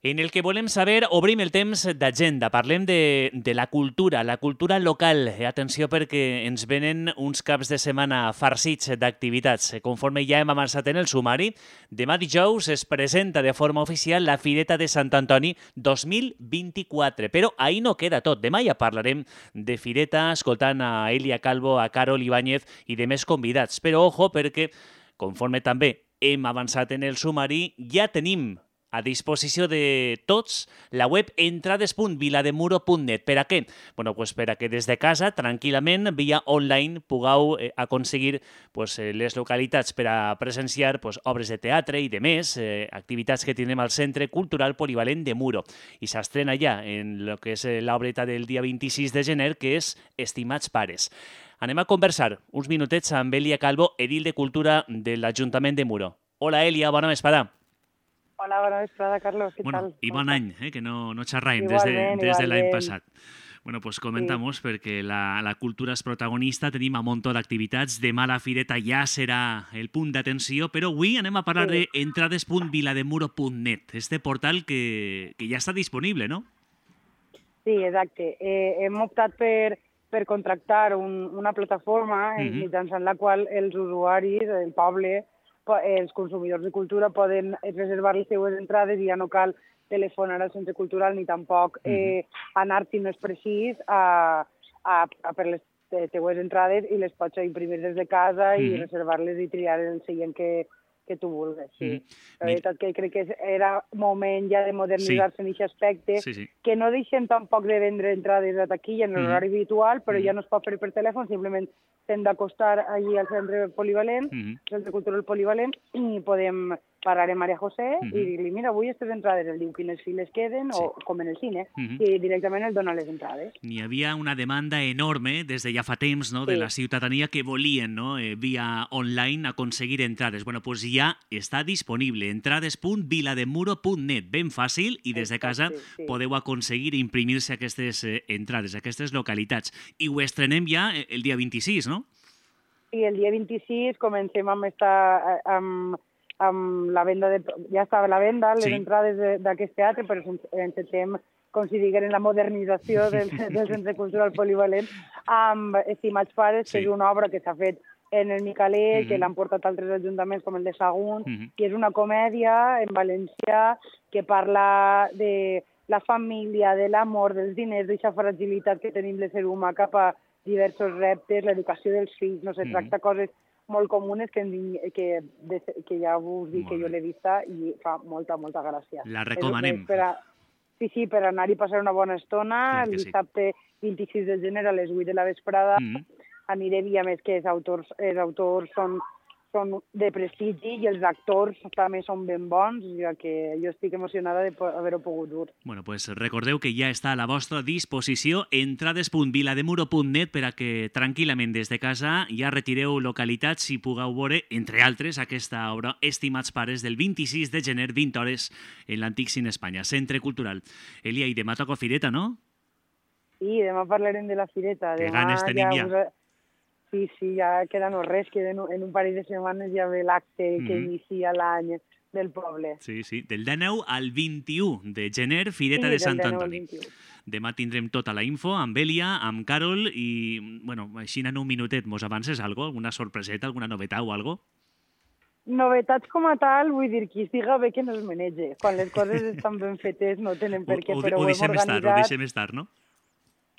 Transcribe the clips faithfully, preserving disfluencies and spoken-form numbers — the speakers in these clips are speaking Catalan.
en el que volem saber, obrim el temps d'agenda, parlem de, de la cultura, la cultura local. Atenció perquè ens venen uns caps de setmana farcits d'activitats. Conforme ja hem avançat en el sumari, demà dijous es presenta de forma oficial la Fireta de Sant Antoni dos mil vint-i-quatre. Però ahir no queda tot. Demà ja parlarem de Fireta, escoltant a Elia Calvo, a Carol Ibáñez i de més convidats. Però ojo, perquè conforme també hem avançat en el sumari, ja tenim a disposició de tots la web entrades punt vilademuro punt net. Per a què? Bueno, pues per a que des de casa, tranquil·lament, via online, pugueu eh, aconseguir pues, eh, les localitats per a presenciar pues, obres de teatre i de més, eh, activitats que tenim al Centre Cultural Polivalent de Muro. I s'estrena ja en el que és l'obreta del dia vint-i-sis de gener, que és Estimats pares. Anem a conversar uns minutets amb Elia Calvo, edil de Cultura de l'Ajuntament de Muro. Hola, Elia, bona vesprada. Hola, bona vesprada, Carlos. ¿Qué bueno, tal? I bon any, eh, que no, no xerraim igualment, des de, des de l'any igualment. passat. Bueno, pues comentamos, sí. perquè la, la cultura és protagonista, tenim un munt d'activitats, demà la Fireta ja serà el punt d'atenció, però avui anem a parlar sí. de entrades punt vilademuro punt net, este portal que, que ja està disponible, no? Sí, exacte. Eh, hem optat per, per contractar un, una plataforma uh-huh. mitjançant la qual els usuaris, el poble, els consumidors de cultura poden reservar les seues entrades i ja no cal telefonar al centre cultural ni tampoc eh, anar, si no és precís, a, a, a per les teues entrades i les pots imprimir des de casa i mm-hmm. reservar-les i triar el seient que, que tu vulguis. Sí. Mm-hmm. La veritat que crec que era moment ja de modernitzar-se sí. en aquest aspecte, sí, sí. que no deixen tampoc de vendre entrades a taquilla en l'horari mm-hmm. habitual, però mm-hmm. ja no es pot fer per telèfon, simplement hem d'acostar allí al centre polivalent, mm-hmm. centre cultural polivalent, i podem parlar amb Maria José mm-hmm. i dir-li, mira, avui aquestes entrades, el diu quines files queden, sí. o com en el cine, mm-hmm. i directament el dona les entrades. N'hi havia una demanda enorme des de ja fa temps, no?, sí. de la ciutadania que volien, no?, eh, via online aconseguir entrades. Bueno, pues ja està disponible, entrades punt vilademuro punt net, ben fàcil, i des de casa sí, sí. podeu aconseguir imprimir-se aquestes eh, entrades, aquestes localitats. I ho estrenem ja el dia vint-i-sis, no? Sí, el dia vint-i-sis comencem amb, esta, amb, amb la venda, de, ja estava la venda, les sí. entrades d'aquest teatre, però intentem, com si digueren, la modernització del, del Centre Cultural Polivalent amb Estimats pares, sí. que és una obra que s'ha fet en el Micalet, mm-hmm. que l'han portat altres ajuntaments com el de Sagunt, mm-hmm. i és una comèdia en valencià que parla de la família, de l'amor, dels diners, d'aquesta fragilitat que tenim l'ésser humà cap a diversos reptes, l'educació dels fills, no sé, tracta mm. coses molt comunes que, que, que ja us dic que jo l'he vista i fa molta, molta gràcia. La recomanem. Per a, sí, sí, per anar-hi passar una bona estona, el dissabte sí. vint-i-sis de gener a les vuit de la vesprada, mm. anirem, i a més que els autors, els autors són, són de prestigi i els actors també són ben bons, ja que jo estic emocionada d'haver-ho pogut dur. Bueno, pues recordeu que ja està a la vostra disposició entrades punt vilademuro punt net per a que tranquil·lament des de casa ja retireu localitats i pugueu veure, entre altres, aquesta obra Estimats pares del vint-i-sis de gener, vint hores, en l'Antic Cine Espanya, Centre Cultural. Elia, i demà toca Fireta, no? Sí, demà parlarem de la Fireta. Que ganes tenim ja. ja. Sí, sí, ja queda no res, que en un parell de setmanes ja ve l'acte mm-hmm. que inicia l'any del poble. Sí, sí, del dinou al vint-i-u de gener, Fireta sí, de Sant Antoni. Demà tindrem tota la info amb Elia, amb Carol i, bueno, així en un minutet, mos avances alguna cosa? Alguna sorpreseta, alguna novetat o alguna cosa? Novetats com a tal, vull dir, qui estiga bé que no es menege. Quan les coses estan ben fetes no tenen per què, o, però ho, ho hem organitzat. Estar, ho deixem estar, no?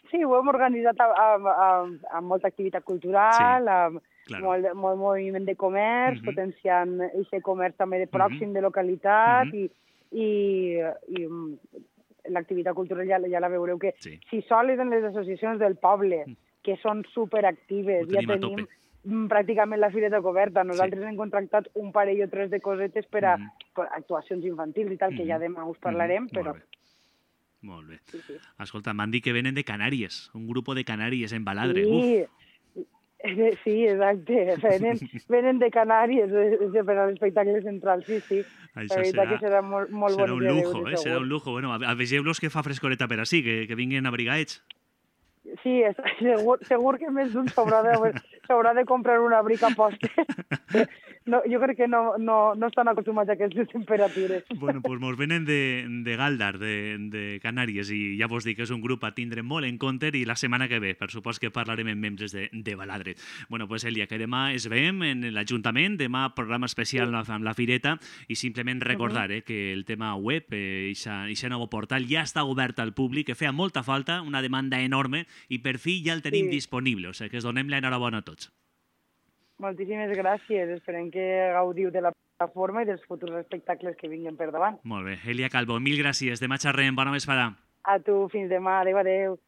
Sí, ho hem organitzat amb, amb, amb molta activitat cultural, sí, amb claro. molt, molt moviment de comerç, uh-huh. potenciant aquest comerç també de pròxim, uh-huh. de localitat, uh-huh. i, i, i l'activitat cultural ja, ja la veureu que sí. si sols en les associacions del poble, que són superactives, ja tenim pràcticament la fireta coberta. Nosaltres sí. hem contractat un parell o tres de cosetes per a, uh-huh. per a actuacions infantils i tal, uh-huh. que ja demà us parlarem, uh-huh. però... Molt bé. Sí, sí. Escolta, m'han dit que venen de Canàries, un grup de Canàries en Baladre. Sí, Uf. sí, exacte. Venen, venen de Canàries per a l'espectacle central, sí, sí. Això la veritat serà, que serà molt, molt serà bonic un lujo, de veure, eh? Serà un lujo. Bueno, avegeu-los que fa frescoreta per així, que, que vinguin abrigaets. Sí, segur, segur que més d'un s'haurà de, s'haurà de comprar un abric a posta. No, jo crec que no, no, no estan acostumats a aquestes temperatures. Bueno, doncs mos venen de, de Galdar, de, de Canàries, i ja vos dic que és un grup a tindre molt en compte, i la setmana que ve, per supòs que parlarem amb membres de, de Baladre. Bueno, pues Elia, que demà es veiem en l'Ajuntament, demà programa especial sí. amb la Fireta, i simplement recordar eh, que el tema web, aquest nou portal, ja està obert al públic, que feia molta falta, una demanda enorme, i per fi ja el tenim sí. disponible, o sigui que es donem l'enhorabona a tots. Moltíssimes gràcies. Esperem que gaudiu de la plataforma i dels futurs espectacles que vinguin per davant. Molt bé. Elia Calvo, mil gràcies. Demà xerrem. Bona vesprada. A tu. Fins demà. Adéu, adéu.